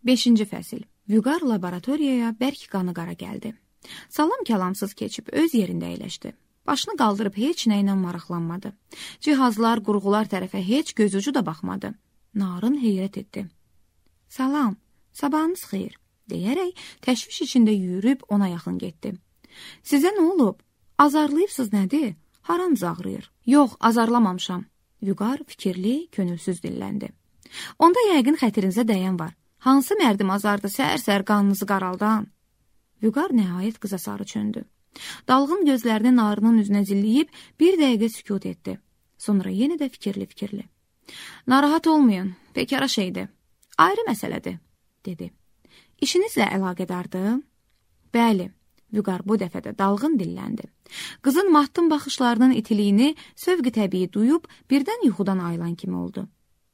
5-ci fəsil. Vüqar laboratoriyaya bərk qanı qara gəldi. Salam kəlamsız keçib öz yerində əyləşdi. Başını qaldırıb heç nə ilə maraqlanmadı. Cihazlar, qurğular tərəfə heç gözucu da baxmadı. Narın heyrət etdi. Salam, sabahınız xeyir, deyərək təşviş içində yürüyüb ona yaxın getdi. Sizə nə olub? Azarlayıbsız nədir? Haranız ağrıyır? Yox, azarlamamışam. Vüqar fikirli, könülsüz dilləndi. Onda yəqin xətirinizə dəyən var. Hansı mərdim azardı səhər-səhər qanınızı qaraldan? Vüqar nəhayət qıza sarı çöndü. Dalğın gözlərini narının üzünə zilləyib bir dəqiqə sükut etdi. Sonra yenə də fikirli. Narahat olmayın, pekara şeydir. Ayrı məsələdir, dedi. İşinizlə əlaqədardır? Bəli, Vüqar bu dəfə də dalğın dilləndi. Qızın mahtım baxışlarının itiliyini sövq-i təbii duyub birdən yuxudan ayılan kimi oldu.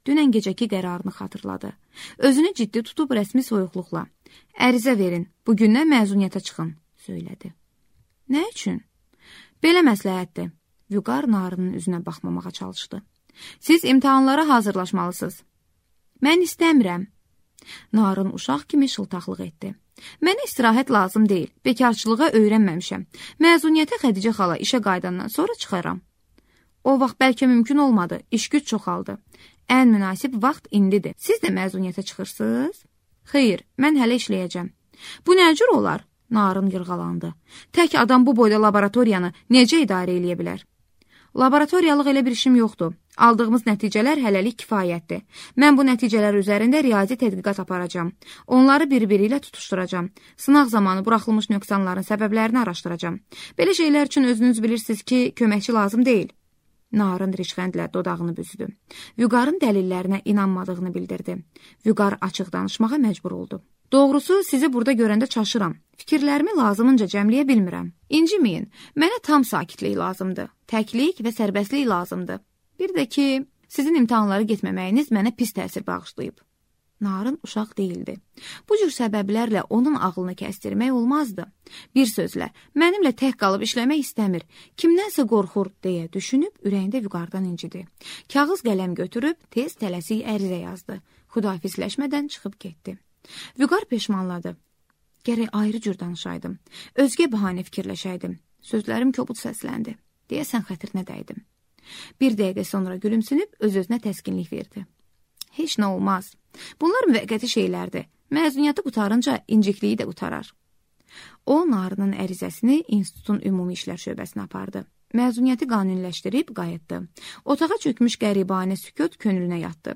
Dünən gecəki qərarını xatırladı. Özünü ciddi tutub rəsmi soyuqluqla. Ərizə verin, bugündən məzuniyyətə çıxın, söylədi. Nə üçün? Belə məsləhətdir. Vüqar narının üzünə baxmamağa çalışdı. Siz imtahanlara hazırlaşmalısınız. Mən istəmirəm. Narın uşaq kimi şıltaqlıq etdi. Mənə istirahət lazım deyil, bekarçılığa öyrənməmişəm. Məzuniyyətə Xədicə xala işə qaydandan sonra çıxaram. O vaxt bəlkə mümkün olmadı, iş güc çoxaldı. Ən münasib vaxt indidir. Siz də məzuniyyətə çıxırsınız? Xeyr, mən hələ işləyəcəm. Bu nə cür olar? Narın yırğalandı. Tək adam bu boyda laboratoriyanı necə idarə eləyə bilər? Laboratoriyalıq elə bir işim yoxdur. Aldığımız nəticələr hələlik kifayətdir. Mən bu nəticələr üzərində riyazi tədqiqat aparacam. Onları bir-biri ilə tutuşturacam. Sınaq zamanı buraxılmış nöqsanların səbəblərini araşdıracam. Belə şeylər üçün özünüz bilirsiniz ki, köməkçi lazım deyil. Narın rişxəndlə dodağını büzdü. Vüqarın dəlillərinə inanmadığını bildirdi. Vüqar açıq danışmağa məcbur oldu. Doğrusu, sizi burada görəndə çaşıram. Fikirlərimi lazımınca cəmləyə bilmirəm. İnciməyin, mənə tam sakitlik lazımdır. Təklik və sərbəstlik lazımdır. Bir də ki, sizin imtahanları getməməyiniz mənə pis təsir bağışlayıb. Narın uşaq değildi. Bu cür səbəblərlə onun ağlını kəstirmək olmazdı. Bir sözlə, mənimlə tək qalıb işləmək istəmir. Kimdənsə qorxur, deyə düşünüb ürəyində Vüqardan incidi. Kağız qələm götürüb tez tələsik ərizə yazdı. Xudafizləşmədən çıxıb getdi. Vüqar peşmanladı. Gərək ayrı cür danışaydım. Özgə bəhanə fikirləşəydim. Sözlərim kobud səsləndi. Deyəsən xətrinə dəydim. Bir dəqiqə sonra gülümsünüb öz-özünə təskinlik verdi. Heç nə olmaz. Bunlar müvəqqəti şeylərdir. Məzuniyyəti qutarınca incikliyi də qutarar. O, narının ərizəsini institutun ümumi işlər şöbəsinə apardı. Məzuniyyəti qanuniləşdirib qayıtdı. Otağa çökmüş qəribanə sükut könlünə yatdı.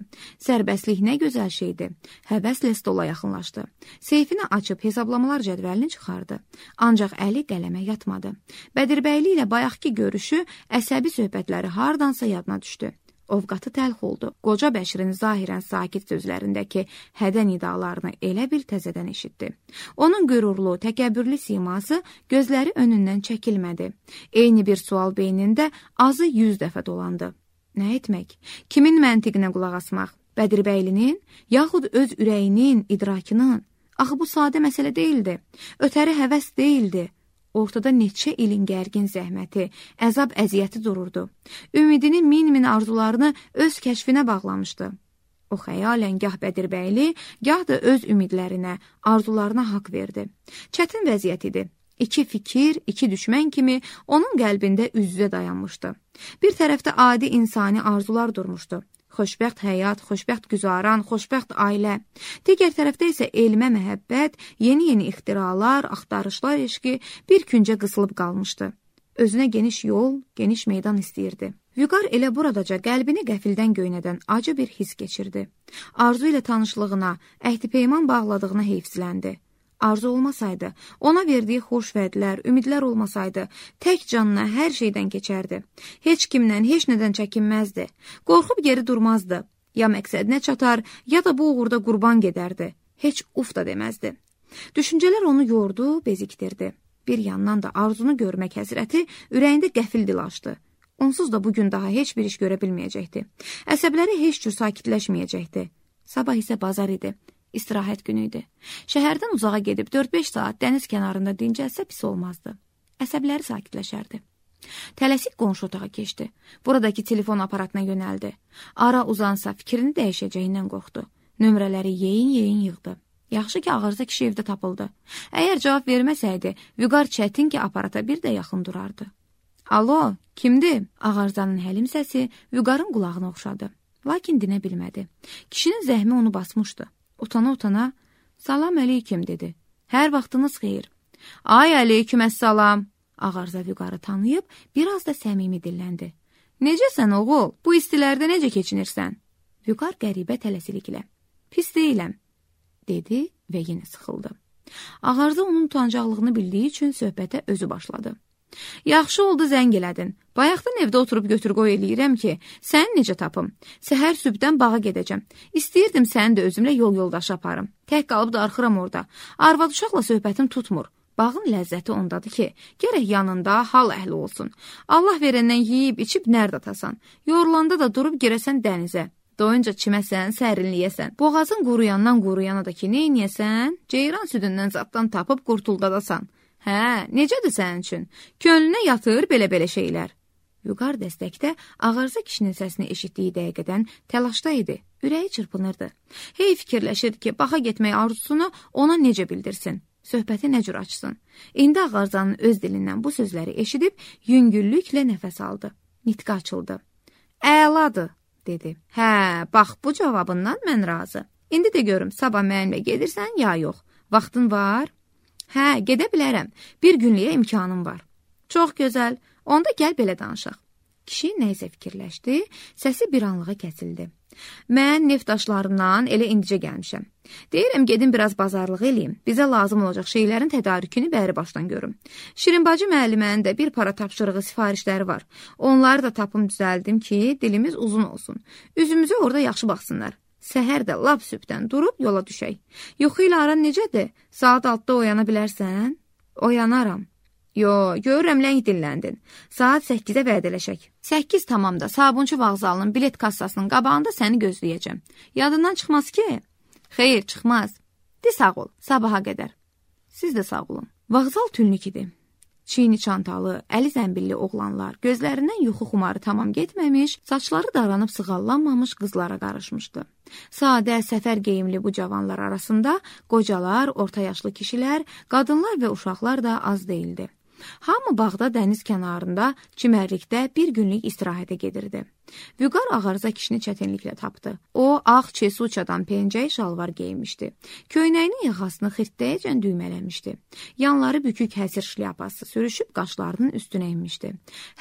Sərbəstlik nə gözəl şeydir. Həvəslə stola yaxınlaşdı. Seyfini açıb hesablamalar cədvəlini çıxardı. Ancaq əli qələmə yatmadı. Bədirbəyli ilə bayaqki görüşü, əsəbi söhbətləri hardansa yadına düşdü. Ovqatı təlx oldu. Qoca Bəşirin zahirən sakit sözlərindəki hədə nidalarını elə bil təzədən eşitdi. Onun qürurlu, təkəbbürlü siması gözləri önündən çəkilmədi. Eyni bir sual beynində azı 100 dəfə dolandı. Nə etmək? Kimin məntiqinə qulaq asmaq? Bədirbəylinin, yaxud öz ürəyinin, idrakının? Axı bu sadə məsələ deyildi. Ötəri həvəs deyildi. Ortada neçə ilin gərgin zəhməti, əzab əziyyəti dururdu. Ümidinin min arzularını öz kəşfinə bağlamışdı. O xəyalən gah Bədirbəyli, gah da öz ümidlərinə, arzularına haqq verdi. Çətin vəziyyət idi. İki fikir, iki düşmən kimi onun qəlbində üz-üzə dayanmışdı. Bir tərəfdə adi insani arzular durmuşdu. Xoşbəxt həyat, xoşbəxt güzaran, xoşbəxt ailə. Digər tərəfdə isə elmə məhəbbət, yeni ixtiralar, axtarışlar eşqi bir küncə qısılıb qalmışdı. Özünə geniş yol, geniş meydan istəyirdi. Vüqar elə buradaca qəlbini qəfildən göynədən acı bir his keçirdi. Arzu ilə tanışlığına, əhdi-peyman bağladığına heyfsiləndi. Arzu olmasaydı, ona verdiyi xoş vədlər, ümidlər olmasaydı, tək canına hər şeydən keçərdi. Heç kimdən, heç nədən çəkinməzdi. Qorxub geri durmazdı. Ya məqsədinə çatar, ya da bu uğurda qurban gedərdi. Heç uf da deməzdi. Düşüncələr onu yordu, bezikdirdi. Bir yandan da arzunu görmək həsrəti ürəyində qəfil dil açdı. Onsuz da bugün daha heç bir iş görə bilməyəcəkdi. Əsəbləri heç cür sakitləşməyəcəkdi. Sabah isə bazar idi. İstirahət günü idi. Şəhərdən uzağa gedib 4-5 saat dəniz kənarında dincəlsə pis olmazdı. Əsəbləri sakitləşərdi. Tələsik qonşu otağa keçdi. Buradakı telefon aparatına yönəldi. Ara uzansa fikrini dəyişəcəyindən qorxdu. Nömrələri yeyin yığdı. Yaxşı ki, Ağarza kişi evdə tapıldı. Əgər cavab verməsəydi, Vüqar çətin ki, aparata bir də yaxın durardı. Alo, kimdir? Ağarzanın həlim səsi Vüqarın qulağına oxşadı. Lakin dinə bilmədi. Kişinin zəhmi onu basmışdı. Utana-utana, salam əleyküm, dedi. Hər vaxtınız xeyir. Ay əleyküm əssalam. Ağarza Vüqarı tanıyıb, biraz da səmimi dilləndi. Necəsən oğul? Bu istilərdə necə keçinirsən? Vüqar qəribə tələsiliklə. Pis deyiləm, dedi və yenə sıxıldı. Ağarza onun utancaqlığını bildiyi üçün söhbətə özü başladı. Yaxşı oldu zəng elədin. Bayaqdan evdə oturub götür-qoy eləyirəm ki, səni necə tapım? Səhər sübdən bağa gedəcəm. İstəyirdim səni də özümlə yol yoldaşı aparım. Tək qalıb darxıram orada. Arvad uşaqla söhbətim tutmur. Bağın ləzzəti ondadır ki, gərək yanında hal əhli olsun. Allah verəndən yeyib, içib nərd atasan. Yorulanda da durub girəsən dənizə. Doyunca çiməsən, sərinliyəsən. Boğazın quruyandan quruyana da ki, neyniyəsən? Ceyran südündən zaddan tapıb qurtuldadasan. Hə, necədir sənin üçün? Könlünə yatır belə-belə şeylər. Vüqar dəstəkdə Ağarza kişinin səsini eşitdiyi dəqiqədən təlaşda idi. Ürəyi çırpınırdı. Hey fikirləşirdi ki, baxa getmək arzusunu ona necə bildirsin? Söhbəti nə cür açsın? İndi Ağarzanın öz dilindən bu sözləri eşidib, yüngüllüklə nəfəs aldı. Nitqi açıldı. Əladır, dedi. Hə, bax, bu cavabından mən razı. İndi də görüm, sabah mənimlə gedirsən, ya yox. Vaxtın var? Hə, gedə bilərəm. Bir günlüyə imkanım var. Çox gözəl. Onda gəl belə danışaq. Kişi nəysə fikirləşdi, səsi bir anlığa kəsildi. Mən neft daşlarından elə indicə gəlmişəm. Deyirəm, gedim biraz bazarlıq eləyim. Bizə lazım olacaq şeylərin tədarükünü bəri başdan görüm. Şirinbacı müəllimənin də bir para tapşırığı sifarişləri var. Onları da tapım düzəldim ki, dilimiz uzun olsun. Üzümüzə orada yaxşı baxsınlar. Səhər də lap sübdən durub yola düşək. Yuxu ilə aran necədir? Saat 6-da oyana bilərsən? Oyanaram. Yo, görürəm ləng dilləndin. Saat 8-də vədələşək. 8 tamamda Sabunçu vağzalının bilet kassasının qabağında səni gözləyəcəm. Yadından çıxmaz ki? Xeyr, çıxmaz. De sağ ol, sabaha qədər. Siz də sağ olun. Vağzal tünlük idi. Çiyini çantalı, əli zəmbilli oğlanlar, gözlərindən yuxu xumarı tamam getməmiş, saçları daranıb sığallanmamış qızlara qarışmışdı. Sadə, səfər geyimli bu cavanlar arasında qocalar, orta yaşlı kişilər, qadınlar və uşaqlar da az deyildi. Hamı bağda dəniz kənarında, çimərlikdə bir günlük istirahətə gedirdi. Vüqar Ağarza kişini çətinliklə tapdı. O, ağ çesuçadan pencəyi şalvar geymişdi. Köynəyinin yaxasını xirtdəyəcən düymələmişdi. Yanları bükük həsir şlyapası sürüşüb qaşlarının üstünə inmişdi.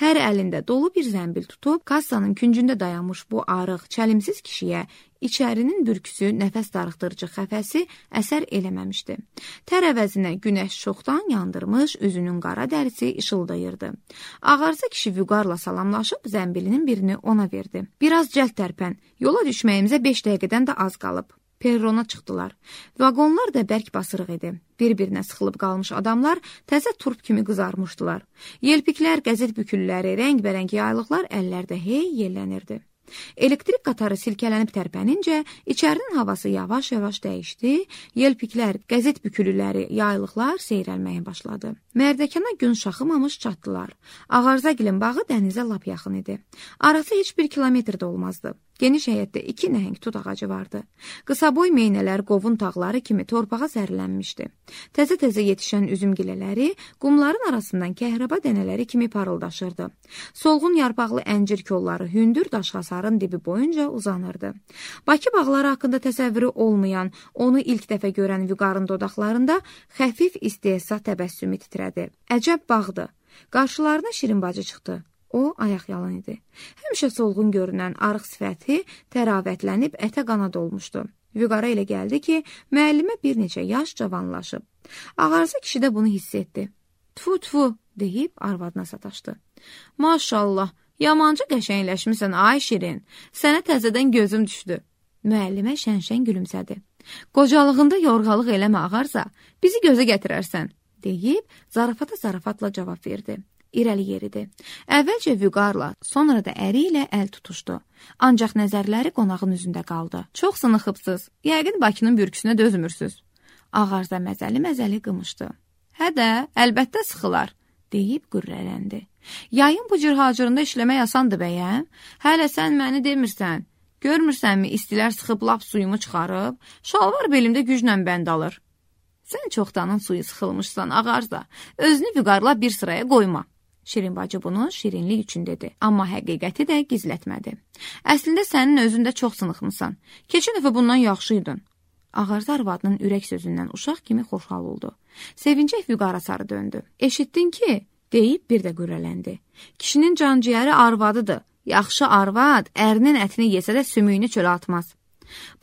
Hər əlində dolu bir zəmbil tutub, kassanın küncündə dayanmış bu arıq, çəlimsiz kişiyə İçərinin bürküsü, nəfəs darıxdırıcı xəfəsi əsər eləməmişdi. Tər əvəzinə günəş çoxdan yandırmış, üzünün qara dərisi işıldayırdı. Ağarza kişi Vüqarla salamlaşıb zəmbilinin birini ona verdi. Biraz cəld tərpən, yola düşməyimizə 5 dəqiqədən də az qalıb. Perrona çıxdılar. Vaqonlar da bərk basırıq idi. Bir-birinə sıxılıb qalmış adamlar təzə turp kimi qızarmışdılar. Yelpiklər, qəzet bükülləri, rəngbərəng yaylıqlar əllərdə hey yellənirdi. Elektrik qatarı silkələnib tərpənincə, içərinin havası yavaş-yavaş dəyişdi, yelpiklər, qəzet bükülüləri, yaylıqlar seyrəlməyə başladı. Mərdəkana gün şaxımamış çatdılar. Ağarzagilin bağı dənizə lap yaxın idi. Arası heç 1 kilometr də olmazdı. Geniş həyətdə 2 nəhəng tut ağacı vardı. Qısaboy meynələr qovun tağları kimi torpağa sərilənmişdi. Təzə-təzə yetişən üzüm gilələri qumların arasından kəhraba dənələri kimi parıldaşırdı. Solğun yarpaqlı əncir kolları hündür daş hasarın dibi boyunca uzanırdı. Bakı bağları haqqında təsəvvürü olmayan, onu ilk dəfə görən Vüqarın dodaqlarında xəfif istehza təbəssümü titrədi. Əcəb bağdı. Qarşılarına Şirinbacı çıxdı. O, ayaq yalan idi. Həmişə solğun görünən arıq sifəti təravətlənib ətə qana dolmuşdu. Vüqara elə gəldi ki, müəllimə bir neçə yaş cavanlaşıb. Ağarza kişi də bunu hiss etdi. Tfu-tfu, deyib arvadına sataşdı. Maşallah, yamanca qəşəngləşmisən, ay Şirin. Sənə təzədən gözüm düşdü. Müəllimə şən-şən gülümsədi. Qocalığında yorğalıq eləmə Ağarza, bizi gözə gətirərsən, deyib zarafata-zarafatla cavab verdi. İrəli yeridi. Əvvəlcə Vüqarla, sonra da əri ilə əl tutuşdu. Ancaq nəzərləri qonağın üzündə qaldı. Çox sınıxıbsız, yəqin Bakının bürküsünə dözmürsüz. Ağarza məzəli-məzəli qımışdı. Hə də, əlbəttə sıxılar, deyib qürrələndi. Yayın bu cür hacırında işləmək asandır bəyəm? Hələ sən məni demirsən. Görmürsənmi, istilər sıxıb lap suyumu çıxarıb, şalvar belimdə güclə bənd alır. Sən çoxdanın suyu sıxılmışsan, Ağarza, özünü vüqarla bir sıraya qoyma. Şirin bacı bunu şirinlik üçün dedi, amma həqiqəti də gizlətmədi. Əslində sənin özündə çox sınıxmısan. Keçən dəfə bundan yaxşıydın. Ağarza arvadının ürək sözündən uşaq kimi xoşhal oldu. Sevincək vüqara sarı döndü. Eşitdin ki, deyib bir də qürrələndi. Kişinin canciyəri arvadıdır. Yaxşı arvad ərinin ətini yesə də sümüyünü çölə atmaz.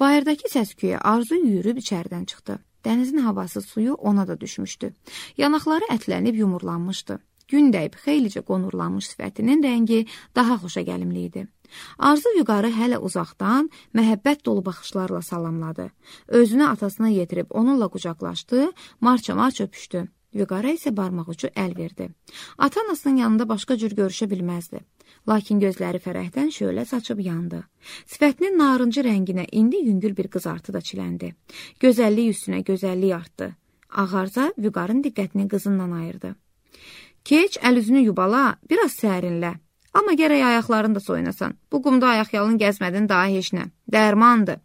Bayırdakı səsküyə Arzu yürüb içəridən çıxdı. Dənizin havası suyu ona da düşmüşdü. Yanaqları ətlənib yumurlanmışdı. Gün dəyib xeylicə qonurlanmış sifətinin rəngi daha xoşa gəlimli idi. Arzu vüqarı hələ uzaqdan məhəbbət dolu baxışlarla salamladı. Özünü atasına yetirib onunla qucaqlaşdı, marça-marça öpüşdü. Vüqara isə barmaq ucu əl verdi. Ata-anasının yanında başqa cür görüşə bilməzdi. Lakin gözləri fərəhdən şölə saçıb yandı. Sifətinin narıncı rənginə indi yüngül bir qızartı da çiləndi. Gözəllik üstünə gözəllik artdı. Ağarza vüqarın diqqətini qızından ayırdı. Keç, əl-üzünü yubala, biraz sərinlə. Amma gərək ayaqlarını da soyunasan. Bu qumda ayaqyalın gəzmədin daha heç nə. Dərmandır.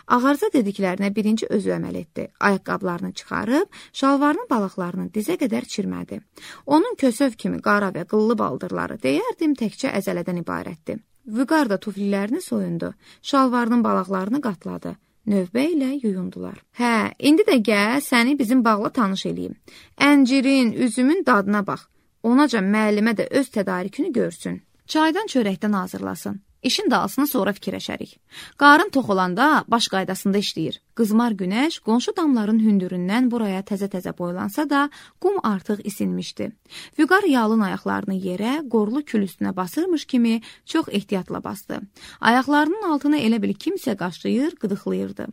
Ağarza dediklərinə birinci özü əməl etdi. Ayaqqablarını çıxarıb, şalvarının balaqlarını dizə qədər çirmədi. Onun kösöv kimi qara və qıllı baldırları deyərdim təkcə əzələdən ibarətdir. Vüqar da tuflilərini soyundu, şalvarının balaqlarını qatladı. Növbə ilə yuyundular. Hə, indi də gəl səni bizim bağla tanış eləyim. Əncirin, üzümün dadına bax. Onaca müəllimə də öz tədarükünü görsün. Çaydan çörəkdən hazırlasın. İşin dalsını sonra fikirləşərik. Qarın tox olanda baş qaydasında işləyir. Qızmar günəş qonşu damların hündüründən buraya təzə-təzə boylansa da, qum artıq isinmişdi. Vüqar yalın ayaqlarını yerə, qorlu kül üstünə basırmış kimi çox ehtiyatla bastı. Ayaqlarının altına elə bil kimsə qaşlayır, qıdıqlayırdı.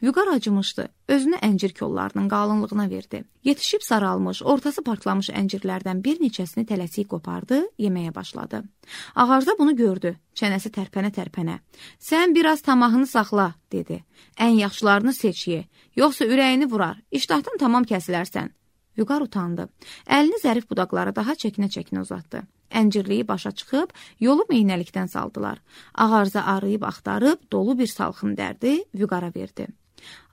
Vüqar acımışdı. Özünü əncir kollarının qalınlığına verdi. Yetişib saralmış, ortası partlamış əncirlərdən bir neçəsini tələsik qopardı, yeməyə başladı. Ağarza bunu gördü. Çənəsi tərpənə-tərpənə. Sən biraz tamahını saxla, dedi. Ən yaxşılarını seç ye, yoxsa ürəyini vurar, iştahdan tamam kəsilərsən. Vüqar utandı. Əlini zərif budaqlara daha çəkinə-çəkinə uzatdı. Əncirliyi başa çıxıb, yolu meynəlikdən saldılar. Ağarza arayıb axtarıb, dolu bir salxım dərdi, Vüqara verdi.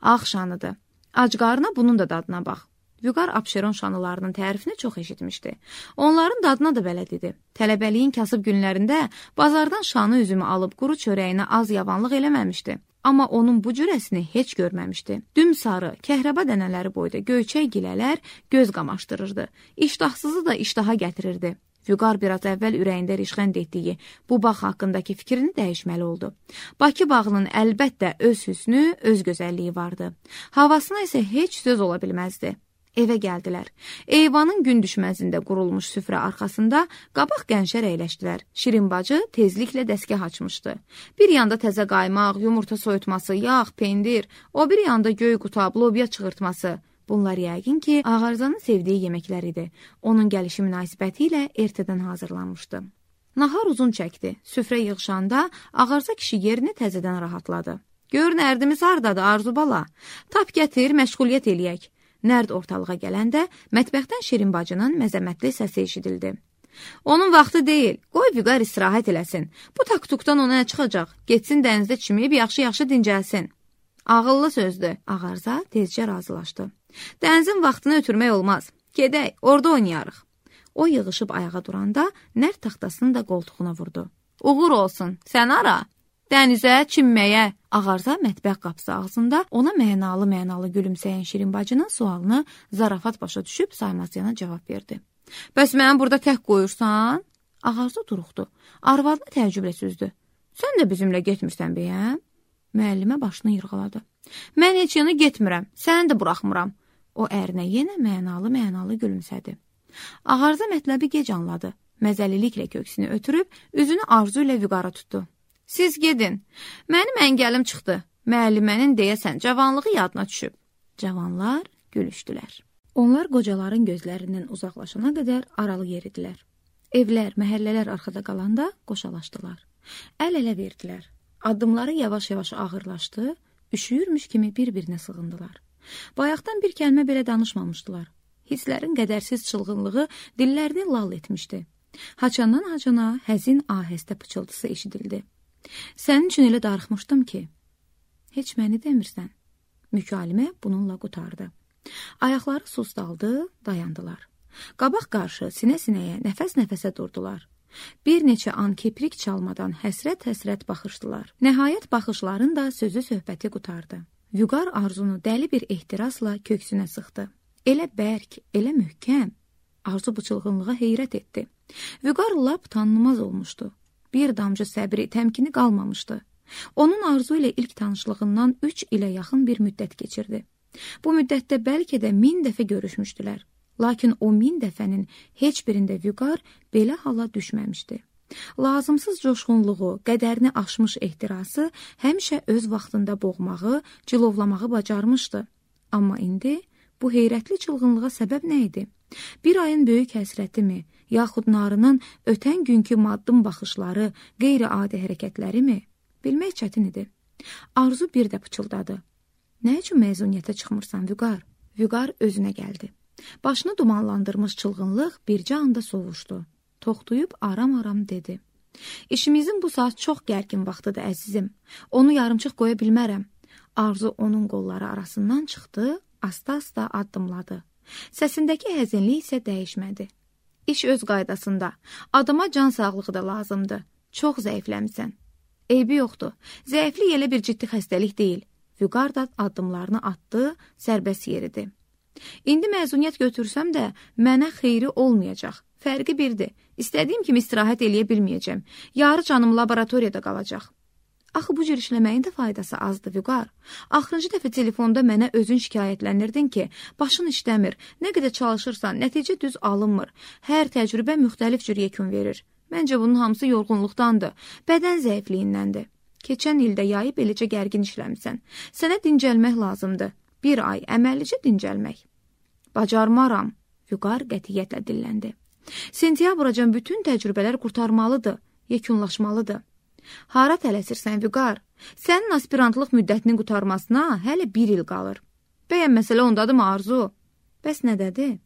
Ağ şanıdır. Ac qarına bunun da dadına bax. Vüqar Abşeron şanılarının tərifini çox eşitmişdi. Onların dadına da bələd idi. Tələbəliyin kasıb günlərində bazardan şanı üzümü alıb quru çörəyinə az yavanlıq eləməmişdi. Amma onun bu cürəsini heç görməmişdi. Düm sarı, kəhrəba dənələri boyda göyçək gilələr göz qamaşdırırdı. İştahsızı da iştaha gətirirdi. Vüqar biraz əvvəl ürəyində rişxənd etdiyi bu bağ haqqındakı fikrini dəyişməli oldu. Bakı bağının əlbəttə öz hüsnü, öz gözəlliyi vardı. Havasına isə heç söz ola bilməzdi. Evə gəldilər. Eyvanın gün düşməzində qurulmuş süfrə arxasında qabaq qənşər əyləşdilər. Şirin bacı tezliklə dəsgah açmışdı. Bir yanda təzə qaymaq, yumurta soyutması, yağ, pendir, o bir yanda göy qutab, lobya çığırtması. Bunlar yəqin ki, Ağarzanın sevdiyi yeməklər idi. Onun gəlişi münasibəti ilə ertədən hazırlanmışdı. Nahar uzun çəkdi. Süfrə yığışanda Ağarza kişi yerini təzədən rahatladı. Gör nərdimiz hardadır Arzu bala. Tap gətir, məşğuliyyət eləyək. Nərd ortalığa gələndə mətbəxdən Şirin bacının məzəmətli səsi eşidildi. Onun vaxtı deyil, qoy Vüqar istirahət eləsin. Bu taktukdan ona nə çıxacaq? Getsin dənizdə çimib yaxşı-yaxşı dincəlsin. Ağıllı sözdür, Ağarza tezcə razılaşdı. Dənizin vaxtını ötürmək olmaz. Gedək, orada oynayarıq. O yığışıb ayağa duranda nərd taxtasını da qoltuğuna vurdu. Uğur olsun, sən ara. Dənizə, çimməyə. Ağarza mətbəx qapısı ağzında ona mənalı-mənalı gülümsəyən Şirin bacının sualını zarafat başa düşüb saymazyana cavab verdi. Bəs məni burada tək qoyursan? Ağarza duruxdu. Arvadını təəccüblə süzdü. Sən də bizimlə getmirsən bəyəm? Müəllimə başını yırğaladı. Mən heç yana getmirəm, səni də buraxmıram. O ərinə yenə mənalı-mənalı gülümsədi. Ağarza mətləbi gec anladı. Məzəliliklə köksünü ötürüb, üzünü Arzu ilə Vüqara tutdu. Siz gedin. Mənim əngəlim çıxdı. Müəllimənin deyəsən cavanlığı yadına düşüb. Cavanlar gülüşdülər. Onlar qocaların gözlərindən uzaqlaşana qədər aralı yeridilər. Evlər, məhəllələr arxada qalanda qoşalaşdılar. Əl-ələ verdilər. Addımları yavaş-yavaş ağırlaşdı, üşüyürmüş kimi bir-birinə sığındılar. Bayaqdan bir kəlmə belə danışmamışdılar. Hisslərin qədərsiz çılğınlığı dillərini lal etmişdi. Haçandan hacana həzin ahəstə pıçıltısı eşidildi. Sənin üçün elə darıxmışdım ki, heç məni demirsən. Mükalimə bununla qutardı. Ayaqları susdaldı, dayandılar. Qabaq qarşı sinə-sinəyə, nəfəs-nəfəsə durdular. Bir neçə an kiprik çalmadan həsrət-həsrət baxışdılar. Nəhayət baxışların da sözü söhbəti qutardı. Vüqar Arzunu dəli bir ehtirasla köksünə sıxdı. Elə bərk, elə möhkəm. Arzu bu çılğınlığa heyrət etdi. Vüqar lap tanınmaz olmuşdu. Bir damcı səbri, təmkini qalmamışdı. Onun Arzu ilə ilk tanışlığından 3 ilə yaxın bir müddət keçirdi. Bu müddətdə bəlkə də 1000 dəfə görüşmüşdülər. Lakin o 1000 dəfənin heç birində Vüqar belə hala düşməmişdi. Lazımsız coşğunluğu, qədərini aşmış ehtirası həmişə öz vaxtında boğmağı, cilovlamağı bacarmışdı. Amma indi bu heyrətli çılğınlığa səbəb nə idi? Bir ayın böyük həsrəti mi, yaxud narının ötən günkü maddım baxışları, qeyri-adi hərəkətləri mi? Bilmək çətin idi. Arzu bir də pıçıldadı. Nə üçün məzuniyyətə çıxmırsan, Vüqar? Vüqar özünə gəldi. Başını dumanlandırmış çılğınlıq bircə anda sovuşdu. Toxtuyub aram-aram dedi. İşimizin bu saat çox gərgin vaxtıdır, əzizim. Onu yarımçıq qoya bilmərəm. Arzu onun qolları arasından çıxdı, asta-asta addımladı. Səsindəki həzinlik isə dəyişmədi. İş öz qaydasında. Adama can sağlığı da lazımdır. Çox zəifləmsən. Eybi yoxdur. Zəiflik elə bir ciddi xəstəlik deyil. Vüqar da addımlarını atdı, sərbəst yeridi. İndi məzuniyyət götürsəm də mənə xeyri olmayacaq. Fərqi birdir. İstədiyim kimi istirahət eləyə bilməyəcəm. Yarı canım laboratoriyada qalacaq. Axı bu cür işləməyin də faydası azdır, Vüqar. Axırıncı dəfə telefonda mənə özün şikayətlənirdin ki, başın işləmir, nə qədər çalışırsan, nəticə düz alınmır. Hər təcrübə müxtəlif cür yekun verir. Məncə bunun hamısı yorğunluqdandır, bədən zəifliyindəndir. Keçən ildə yayı beləcə gərgin işləmisən. Sənə dincəlmək lazımdır. Bir ay əməllicə dincəlmək. Bacarmaram, Vüqar qətiyyətlə dilləndi. Sentyabracan bütün təcrübələr qurtarmalıdır, yekunlaşmalıdır. Hara tələsirsən, Vüqar? Sənin aspirantlıq müddətinin qurtarmasına hələ 1 il qalır. Bəyən məsələ ondadırmı, Arzu? Bəs nədədir?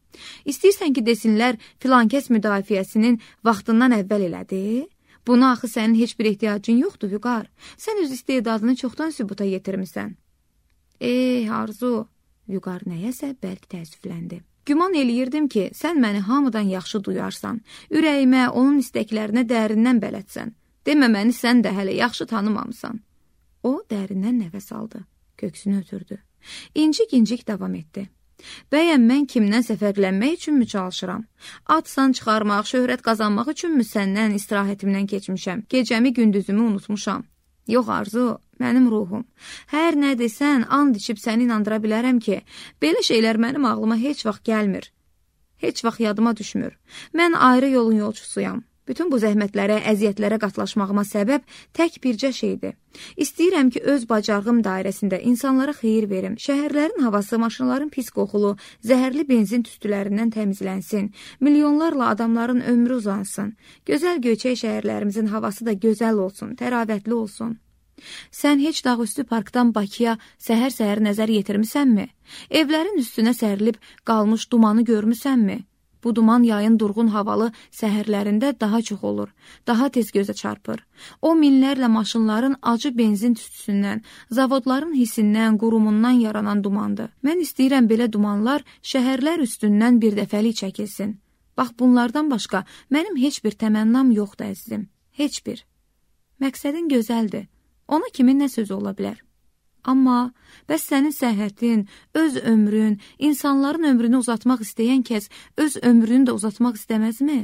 İstəyirsən ki, desinlər filankəs müdafiəsinin vaxtından əvvəl elədi? Buna axı sənin heç bir ehtiyacın yoxdur, Vüqar. Sən öz istedadını çoxdan sübuta yetirmisən. Arzu, Vüqar nəyəsə bəlkə təəssüfləndi. Güman eləyirdim ki, sən məni hamıdan yaxşı duyarsan, ürəyimə, onun istəklərinə dərindən bələdsən. Demə məni sən də hələ yaxşı tanımamısan. O dərindən nəfəs aldı, köksünü ötürdü. İncik-incik davam etdi. Bəyəm mən kimdənsə fərqlənmək üçünmü çalışıram? Ad-san çıxarmaq, şöhrət qazanmaq üçünmü səndən istirahətimdən keçmişəm? Gecəmi, gündüzümü unutmuşam. Yox, Arzu, mənim ruhum. Hər nə desən, and içib səni inandıra bilərəm ki, belə şeylər mənim ağlıma heç vaxt gəlmir. Heç vaxt yadıma düşmür. Mən ayrı yolun yolçusuyam. Bütün bu zəhmətlərə, əziyyətlərə qatlaşmağıma səbəb tək bircə şeydir. İstəyirəm ki, öz bacarığım dairəsində insanlara xeyir verim. Şəhərlərin havası, maşınların pis qoxulu, zəhərli benzin tüstülərindən təmizlənsin. Milyonlarla adamların ömrü uzansın. Gözəl göyçək şəhərlərimizin havası da gözəl olsun, təravətli olsun. Sən heç Dağüstü parkdan Bakıya səhər-səhər nəzər yetirmisənmi? Evlərin üstünə sərilib qalmış dumanı görmüsənmi? Bu duman yayın durğun havalı səhərlərində daha çox olur, daha tez gözə çarpır. O minlərlə maşınların acı benzin tüstüsündən, zavodların hisindən, qurumundan yaranan dumandır. Mən istəyirəm belə dumanlar şəhərlər üstündən bir dəfəlik çəkilsin. Bax, bunlardan başqa mənim heç bir təmənnam yoxdur, əzizim. Heç bir. Məqsədin gözəldir. Ona kimin nə sözü ola bilər? Amma bəs sənin səhhətin, öz ömrün, insanların ömrünü uzatmaq istəyən kəs öz ömrünü də uzatmaq istəməzmi?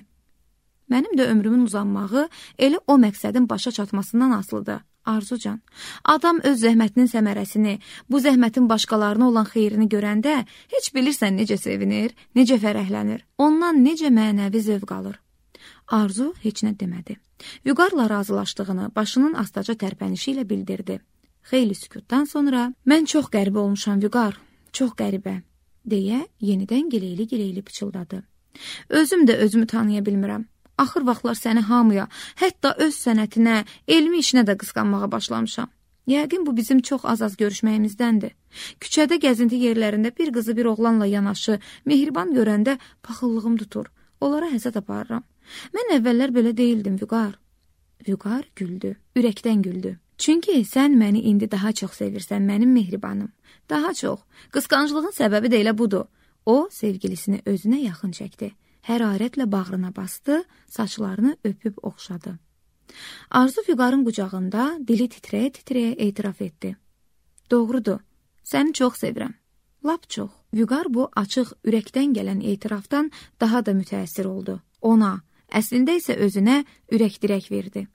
Mənim də ömrümün uzanmağı elə o məqsədin başa çatmasından asılıdır, Arzucan. Adam öz zəhmətinin səmərəsini, bu zəhmətin başqalarına olan xeyrini görəndə heç bilirsən necə sevinir, necə fərəhlənir, ondan necə mənəvi zövq alır. Arzu heç nə demədi. Vüqarla razılaşdığını başının astaca tərpənişi ilə bildirdi. Xeyli sükutdan sonra, mən çox qəribə olmuşam, Vüqar, çox qəribə, deyə yenidən gileyli-gileyli pıçıldadı. Özüm də özümü tanıya bilmirəm. Axır vaxtlar səni hamıya, hətta öz sənətinə, elmi işinə də qısqanmağa başlamışam. Yəqin bu bizim çox az-az görüşməyimizdəndir. Küçədə gəzinti yerlərində bir qızı bir oğlanla yanaşı, mehriban görəndə paxıllığım tutur. Onlara həsəd aparıram. Mən əvvəllər belə deyildim, Vüqar. Vüqar güldü, ürəkdən güldü. Çünki sən məni indi daha çox sevirsən, mənim mehribanım. Daha çox. Qısqanclığın səbəbi də elə budur. O, sevgilisini özünə yaxın çəkdi. Hərarətlə bağrına bastı, saçlarını öpüb oxşadı. Arzu Vüqarın qucağında dili titrəyə-titrəyə etiraf etdi. Doğrudur, səni çox sevirəm. Lap çox. Vüqar bu açıq, ürəkdən gələn etirafdan daha da mütəəssir oldu. Ona, əslində isə özünə ürək-dirək verdi.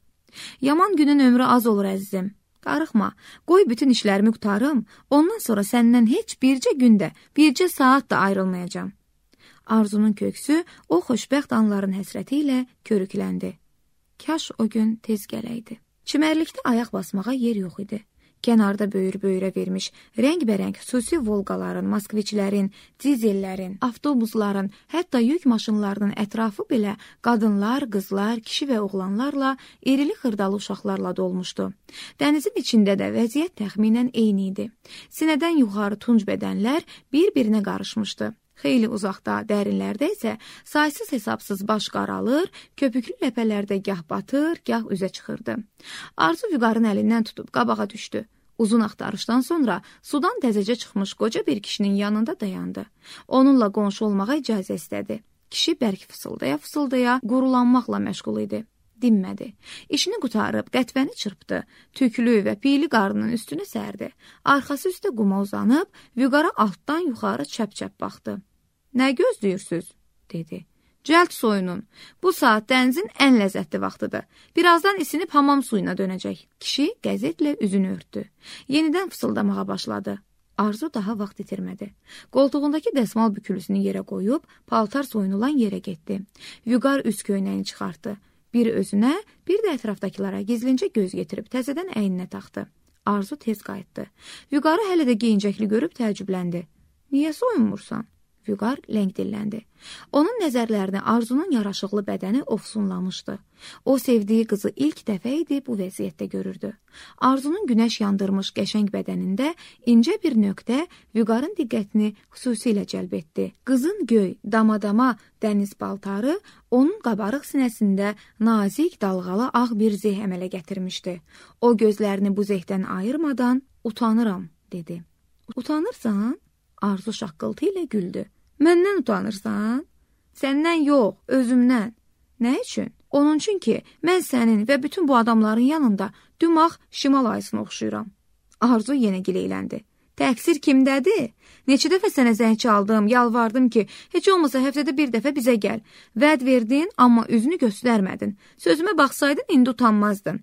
Yaman günün ömrü az olur əzizim. Darıxma, qoy bütün işlərimi qutarım, ondan sonra səndən heç bircə gündə, bircə saat da ayrılmayacağam. Arzunun köksü o xoşbəxt anların həsrəti ilə körükləndi. Kaş o gün tez gələydi. Çimərlikdə ayaq basmağa yer yox idi. Kənarda böyür-böyürə vermiş rəngbərəng xüsusi volqaların, moskviçlərin, dizellərin, avtobusların, hətta yük maşınlarının ətrafı belə qadınlar, qızlar, kişi və oğlanlarla, irili xırdalı uşaqlarla dolmuşdu. Dənizin içində də vəziyyət təxminən eyni idi. Sinədən yuxarı tunc bədənlər bir-birinə qarışmışdı. Xeyli uzaqda, dərinlərdə isə saysız hesabsız baş qaralır, köpüklü ləpələrdə gah batır, gah üzə çıxırdı. Arzu Vüqarın əlindən tutub qabağa düşdü. Uzun axtarışdan sonra sudan təzəcə çıxmış qoca bir kişinin yanında dayandı. Onunla qonşu olmağa icazə istədi. Kişi bərk fısıldaya-fısıldaya qurulanmaqla məşğul idi. Dinmədi. İşini qutarıb qətvəni çırpdı. Tüklü və piyli qarnının üstünə sərdi. Arxası üstə quma uzanıb, Vüqara altdan yuxarı çəp-çəp baxdı. Nə gözləyirsiniz? Dedi. Cəld soyunun. Bu saat dənizin ən ləzzətli vaxtıdır. Birazdan isinib hamam suyuna dönəcək. Kişi qəzetlə üzünü örtdü. Yenidən fısıldamağa başladı. Arzu daha vaxt itirmədi. Qoltuğundakı dəsmal bükülüsünü yerə qoyub, paltar soyunulan yerə getdi. Vüqar üst köynəyini çıxartdı. Bir özünə, bir də ətrafdakılara gizlincə göz getirib təzədən əyninə taxdı. Arzu tez qayıtdı. Vüqarı hələ də geyincəkli görüb təəccübləndi. Niyə soyunmursan? Vüqar ləng dilləndi. Onun nəzərlərini Arzunun yaraşıqlı bədəni ofsunlamışdı. O sevdiyi qızı ilk dəfə idi bu vəziyyətdə görürdü. Arzunun günəş yandırmış qəşəng bədənində incə bir nöqtə Vüqarın diqqətini xüsusilə cəlb etdi. Qızın göy, damadama dəniz paltarı onun qabarıq sinəsində nazik, dalğalı ağ bir zeh əmələ gətirmişdi. O gözlərini bu zehdən ayırmadan utanıram, dedi. Utanırsan? Arzu şaqqıltı ilə güldü. Məndən utanırsan? Səndən yox, özümdən. Nə üçün? Onun üçün ki, mən sənin və bütün bu adamların yanında dümağ şimal ayısına oxşuyuram. Arzu yenə gileyləndi. Təqsir kimdədir? Neçə dəfə sənə zəng çaldım, yalvardım ki, heç olmasa həftədə bir dəfə bizə gəl. Vəd verdin, amma üzünü göstərmədin. Sözümə baxsaydın, indi utanmazdın.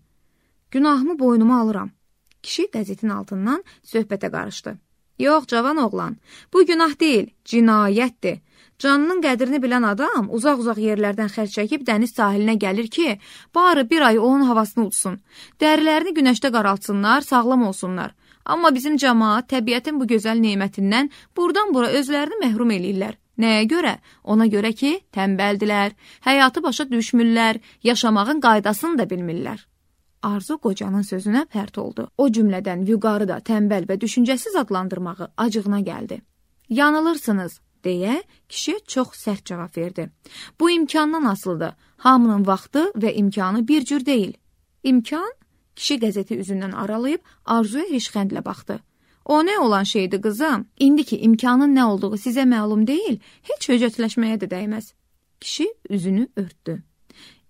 Günahımı boynuma alıram. Kişi qəzetin altından söhbətə qarışdı. Yox, cavan oğlan, bu günah deyil, cinayətdir. Canının qədrini bilən adam uzaq-uzaq yerlərdən xərc çəkib dəniz sahilinə gəlir ki, bari bir ay onun havasını utsun. Dərilərini günəşdə qaraltsınlar, sağlam olsunlar. Amma bizim cəmaat təbiətin bu gözəl nemətindən buradan-bura özlərini məhrum eləyirlər. Nəyə görə? Ona görə ki, tənbəldilər, həyatı başa düşmürlər, yaşamağın qaydasını da bilmirlər. Arzu qocanın sözünə pərt oldu. O cümlədən Vüqarı da tənbəl və düşüncəsiz adlandırmağı acığına gəldi. Yanılırsınız, deyə kişi çox sərt cavab verdi. Bu imkandan asılıdır. Hamının vaxtı və imkanı bir cür deyil. İmkan? Kişi qəzeti üzündən aralayıb Arzuya rişxəndlə baxdı. O nə olan şeydir qızım? İndi ki imkanın nə olduğu sizə məlum deyil, heç höcətləşməyə də dəyməz. Kişi üzünü örtdü.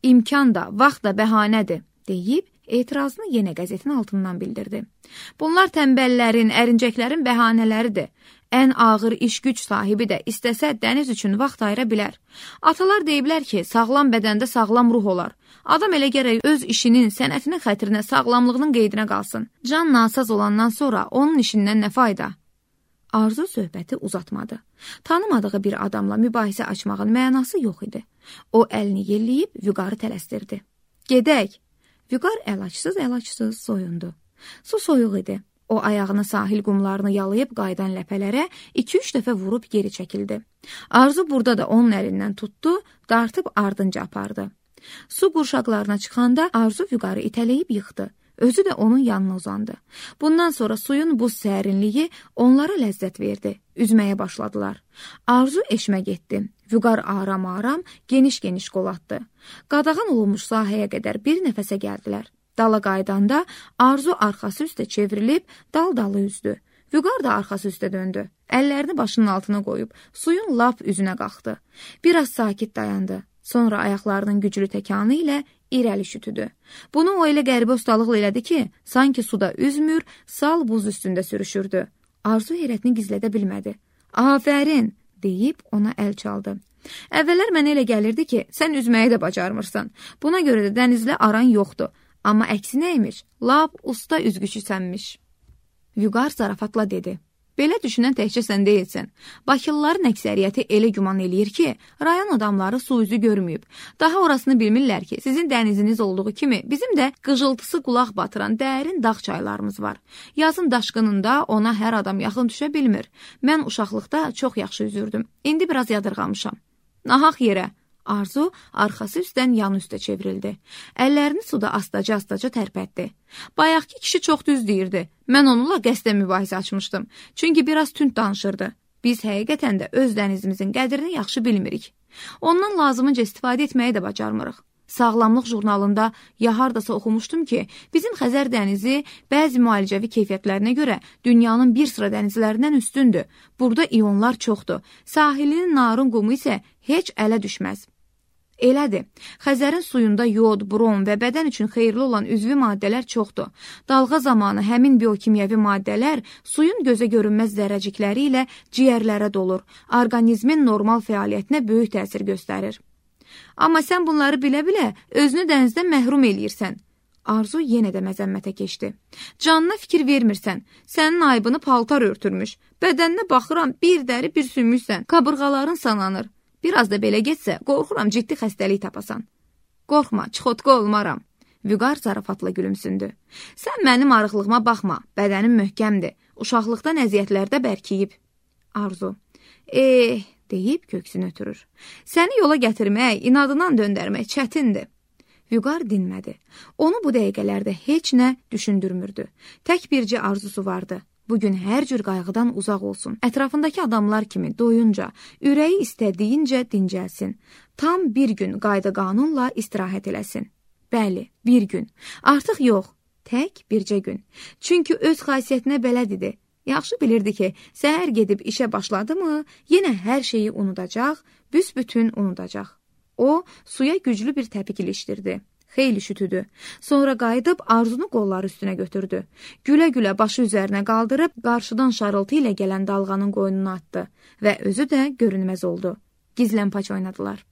İmkan da, vaxt da bəhanədir, deyib etirazını yenə qəzetin altından bildirdi. Bunlar tənbəllərin, ərincəklərin bəhanələridir. Ən ağır iş güc sahibi də istəsə dəniz üçün vaxt ayıra bilər. Atalar deyiblər ki, sağlam bədəndə sağlam ruh olar. Adam elə gərək öz işinin, sənətinin xətrinə, sağlamlığının qeydinə qalsın. Can nasaz olandan sonra onun işindən nə fayda? Arzu söhbəti uzatmadı. Tanımadığı bir adamla mübahisə açmağın mənası yox idi. O əlini yelləyib Vüqarı tələsdirdi. Gedək. Vüqar əlacsız soyundu. Su soyuq idi. O ayağını sahil qumlarını yalayıb qaydan ləpələrə 2-3 dəfə vurub geri çəkildi. Arzu burada da onun əlindən tutdu, dartıb ardınca apardı. Su qurşaqlarına çıxanda Arzu Vüqarı itələyib yıxdı. Özü də onun yanına uzandı. Bundan sonra suyun buz sərinliyi onlara ləzzət verdi. Üzməyə başladılar. Arzu eşmə getdi. Vüqar aram-aram, geniş-geniş qol atdı. Qadağan olunmuş sahəyə qədər bir nəfəsə gəldilər. Dala qaydanda Arzu arxası üstə çevrilib dal-dalı üzdü. Vüqar da arxası üstə döndü. Əllərini başının altına qoyub suyun lap üzünə qalxdı. Biraz sakit dayandı. Sonra ayaqlarının güclü təkanı ilə irəli şütüdü. Bunu o elə qəribə ustalıqla elədi ki, sanki suda üzmür, sal buz üstündə sürüşürdü. Arzu heyrətini gizlədə bilmədi. "Afərin!" deyib ona əl çaldı. "Əvvəllər mənə elə gəlirdi ki, sən üzməyi də bacarmırsan. Buna görə də dənizlə aran yoxdur. Amma əksinə imiş, lap usta üzgüçüsənmiş." Vüqar zarafatla dedi. "Belə düşünən təkcə sən deyilsən. Bakılıların əksəriyyəti elə güman eləyir ki, rayon adamları su üzü görməyib. Daha orasını bilmirlər ki, sizin dəniziniz olduğu kimi bizim də qıcıltısı qulaq batıran dərin dağ çaylarımız var. Yazın daşqınında ona hər adam yaxın düşə bilmir. Mən uşaqlıqda çox yaxşı üzürdüm. İndi biraz yadırğamışam." Nahaq yerə. Arzu arxası üstdən yan üstə çevrildi. Əllərini suda astaca-astaca tərpətdi. Bayaqki kişi çox düz deyirdi. Mən onunla qəsdən mübahisə açmışdım. Çünki biraz tünd danışırdı. Biz həqiqətən də öz dənizimizin qədrini yaxşı bilmirik. Ondan lazımınca istifadə etməyi də bacarmırıq. Sağlamlıq jurnalında ya hardasa oxumuşdum ki, bizim Xəzər dənizi bəzi müalicəvi keyfiyyətlərinə görə dünyanın bir sıra dənizlərindən üstündür. Burada ionlar çoxdur. Sahilinin narın qumu isə heç ələ düşməz. Elədir. Xəzərin suyunda yod, brom və bədən üçün xeyirli olan üzvi maddələr çoxdur. Dalğa zamanı həmin biokimyəvi maddələr suyun gözə görünməz zərrəcikləri ilə ciyərlərə dolur. Orqanizmin normal fəaliyyətinə böyük təsir göstərir. Amma sən bunları bilə-bilə özünü dənizdən məhrum eləyirsən. Arzu yenə də məzəmmətə keçdi. Canına fikir vermirsən. Sənin aybını paltar örtürmüş. Bədəninə baxıram, bir dəri bir sümüksən. Qabırğaların sananır. Biraz da belə getsə, qorxuram ciddi xəstəlik tapasan. Qorxma, çıxotqa olmaram. Vüqar zarafatla gülümsündü. Sən mənim arıqlığıma baxma, bədənim möhkəmdir. Uşaqlıqdan əziyyətlərdə bərkiyib. Arzu, deyib köksünü ötürür. Səni yola gətirmək, inadından döndərmək çətindir. Vüqar dinmədi. Onu bu dəqiqələrdə heç nə düşündürmürdü. Tək bircə arzusu vardı. Bugün hər cür qayğıdan uzaq olsun. Ətrafındakı adamlar kimi doyunca, ürəyi istədiyincə dincəlsin. Tam bir gün qayda-qanunla istirahət eləsin. Bəli, bir gün. Artıq yox, tək bircə gün. Çünki öz xasiyyətinə bələd idi. Yaxşı bilirdi ki, səhər gedib işə başladı mı, yenə hər şeyi unudacaq, büsbütün unudacaq. O, suya güclü bir təpik ilişdirdi. Xeyli şütüdü. Sonra qayıdıb Arzunu qolları üstünə götürdü. Gülə-gülə başı üzərinə qaldırıb, qarşıdan şarıltı ilə gələn dalğanın qoynuna atdı və özü də görünməz oldu. Gizlənpaç oynadılar.